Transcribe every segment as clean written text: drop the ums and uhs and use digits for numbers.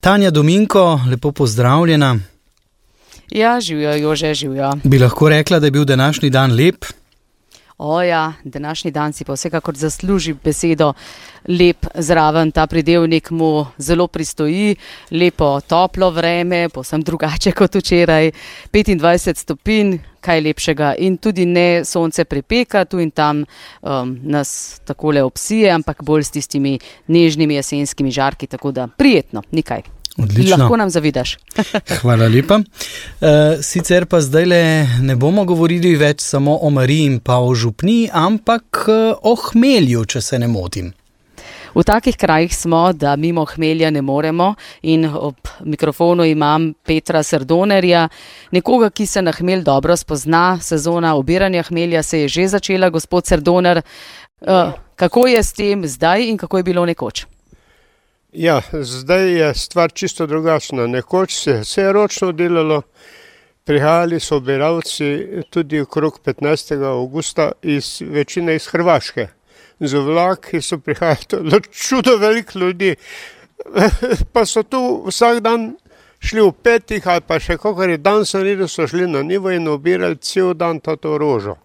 Tanja Dominko, lepo pozdravljena. Ja, živijo, Jože, živijo. Bi lahko rekla, da je bil današnji dan lep? Ja, današnji dan si pa vsekakor zasluži besedo lep zraven. Ta pridevnik mu zelo pristoji, lepo toplo vreme, povsem drugače kot včeraj, 25 stopinj, kaj lepšega in tudi ne sonce pripeka, tu in tam nas takole obsije, ampak bolj s tistimi nežnimi jesenskimi žarki, tako da prijetno, nikaj. Odlično. Lahko nam zavidaš. Hvala lepa. Sicer pa zdajle ne bomo govorili več samo o Mariji in pa o župniji, ampak o hmelju, če se ne motim. V takih krajih smo, da mimo hmelja ne moremo in ob mikrofonu imam Petra Srdonerja, nekoga, ki se na hmelj dobro spozna. Sezona obiranja hmelja se je že začela, gospod Srdoner. Kako je s tem zdaj in kako je bilo nekoč? Ja, zdaj je stvar čisto drugačna. Nekoč se je vse ročno delalo, prihajali so obiralci tudi okrog 15. augusta večine iz Hrvaške. Z vlaki so prihajali čudo veliko ljudi, pa so tu vsak dan šli v petih ali pa še kakor je dan sanili, so šli na nivo in obirali cel dan to rožo.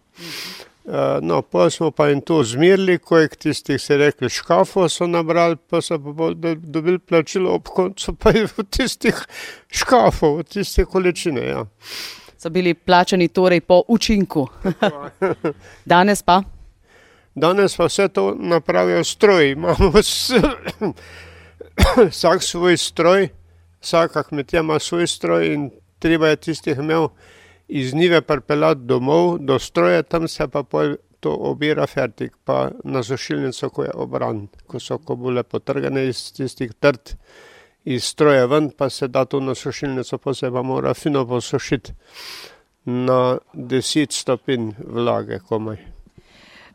No, pa smo pa jim to zmirili, kojek tistih se rekli škafov so nabrali, pa so pa dobili plačilo ob koncu, pa je v tistih škafov, v tistih količine, ja. So bili plačani torej po učinku. Danes pa? Danes pa vse to napravijo stroji. Imamo vsak svoj stroj, vsaka kmetija ima svoj stroj in treba je tistih imel iz njive pripeljati domov, do stroja, tam se pa pol to obira fertik, pa na sušilnico, ko je obran, ko so kobule potrgane iz tistih trt, iz stroja ven, pa se da to na sušilnico, pa se pa mora fino posušiti na 10 stopinj vlage komaj.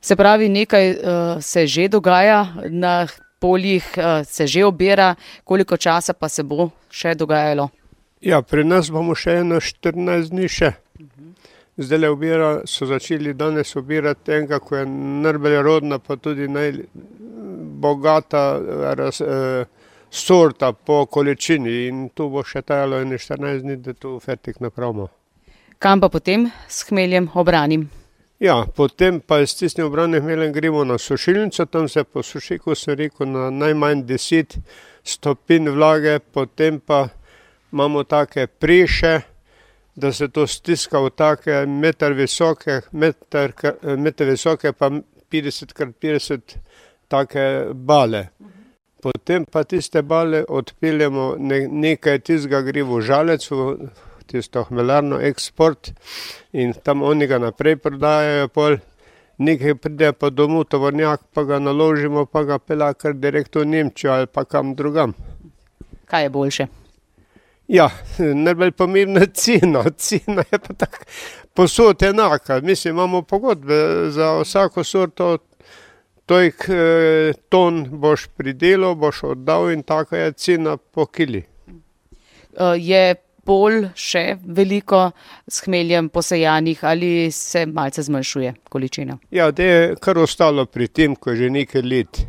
Se pravi, nekaj se že dogaja na poljih, se že obira, koliko časa pa se bo še dogajalo? Ja, pri nas bomo še 14 dni še. Zdaj so začeli danes obirati enega, ko je najbolj rodna, pa tudi najbogata sorta po količini in tu bo še trajalo 14 dni, da to fertik napravimo. Kam pa potem s hmeljem obranim? Ja, potem pa s tistim obranim hmeljem gremo na sušilnico, tam se posuši, ko sem rekel, na najmanj 10 stopinj vlage, potem pa imamo take preše, da se to stiska v take meter visoke pa 50x50 take bale. Potem pa tiste bale odpeljemo, nekaj tistega gre v žalec, v tisto hmelarno eksport in tam oni ga naprej prodajajo pol. Nekaj pride pa domov tovornjak, pa ga naložimo, pa ga pelja kar direkt v Nemčijo ali pa kam drugam. Kaj je boljše? Ja, najbolj pomembna cena. Cena je pa tako posod enaka. Mislim, imamo pogodbe za vsako sorto, tolik ton boš pridelal, boš oddal in taka je cena po kili. Je polj še veliko s hmeljem posejanih ali se malce zmanjšuje količina? Ja, da je kar ostalo pri tem, ko je že nekaj let.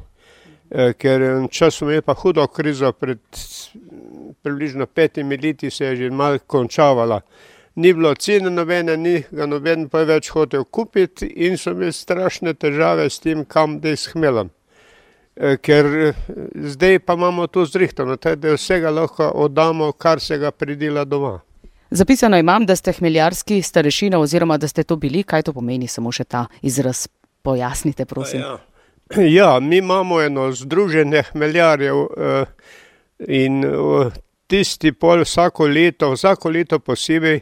Ker časom je pa hudo krizo pred približno 5 leti se je že malo končavala. Ni bilo cene nobene, ni ga noben pa več hotel kupiti in so imeli strašne težave s tem, kam da s hmeljem. Ker zdaj pa imamo to zrihtano, da vsega lahko oddamo, kar se ga pridela doma. Zapisano imam, da ste hmeljarski starešina oziroma da ste to bili. Kaj to pomeni? Samo še ta izraz pojasnite, prosim. Ja, mi imamo eno združenje hmeljarjev in tisti pol vsako leto posebej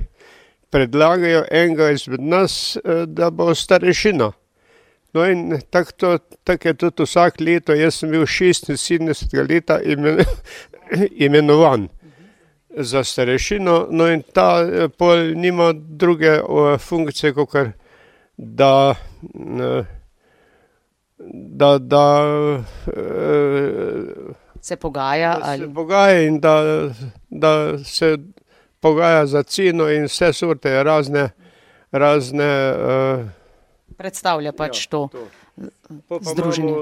predlagajo enega izmed nas, da bo starešina. No in tako je tudi vsak leto, jaz sem bil 76. leta imenovan za starešino, no in ta pol nima druge funkcije, kakor da se pogaja ali se pogaja in da se pogaja za ceno in vse sorte razne predstavlja pač to združenje.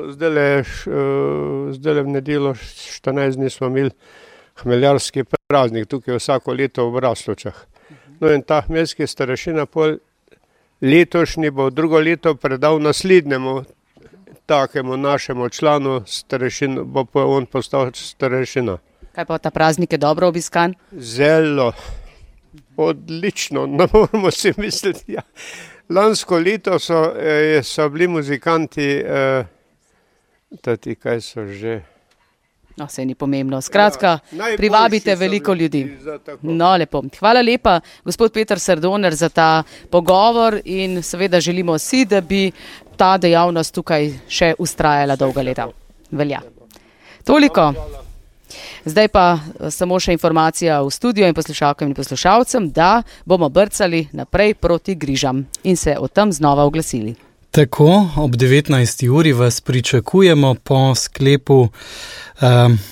Zdajle v nedeljo 14 dni smo imeli hmeljarski praznik, tukaj vsako leto v Braslovčah. No in ta hmeljski starešina pol letošnji bo drugo leto predal naslednjemu takemu našemu članu starešin, bo pa on postal starešina. Kaj pa ta praznik je dobro obiskan? Zelo, odlično, ne moramo si misliti. Ja. Lansko leto so bili muzikanti, kaj so že. No, vse ni pomembno. Skratka, privabite veliko ljudi. No, lepo. Hvala lepa, gospod Peter Sardoner, za ta pogovor in seveda želimo si, da bi ta dejavnost tukaj še ustrajala dolga leta. Velja. Toliko. Zdaj pa samo še informacija v studio in poslušalkam in poslušalcem, da bomo brcali naprej proti Grižam in se o tem znova oglasili. Tako, ob 19. uri vas pričakujemo po sklepu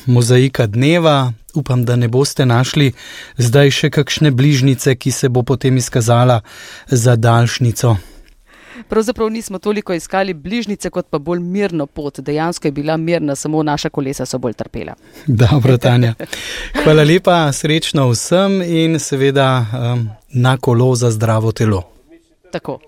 mozaika dneva. Upam, da ne boste našli zdaj še kakšne bližnice, ki se bo potem izkazala za daljšnico. Pravzaprav nismo toliko iskali bližnice, kot pa bolj mirno pot. Dejansko je bila mirna, samo naša kolesa so bolj trpela. Dobro, Tanja. Hvala lepa, srečno vsem in seveda na kolo za zdravo telo. Tako.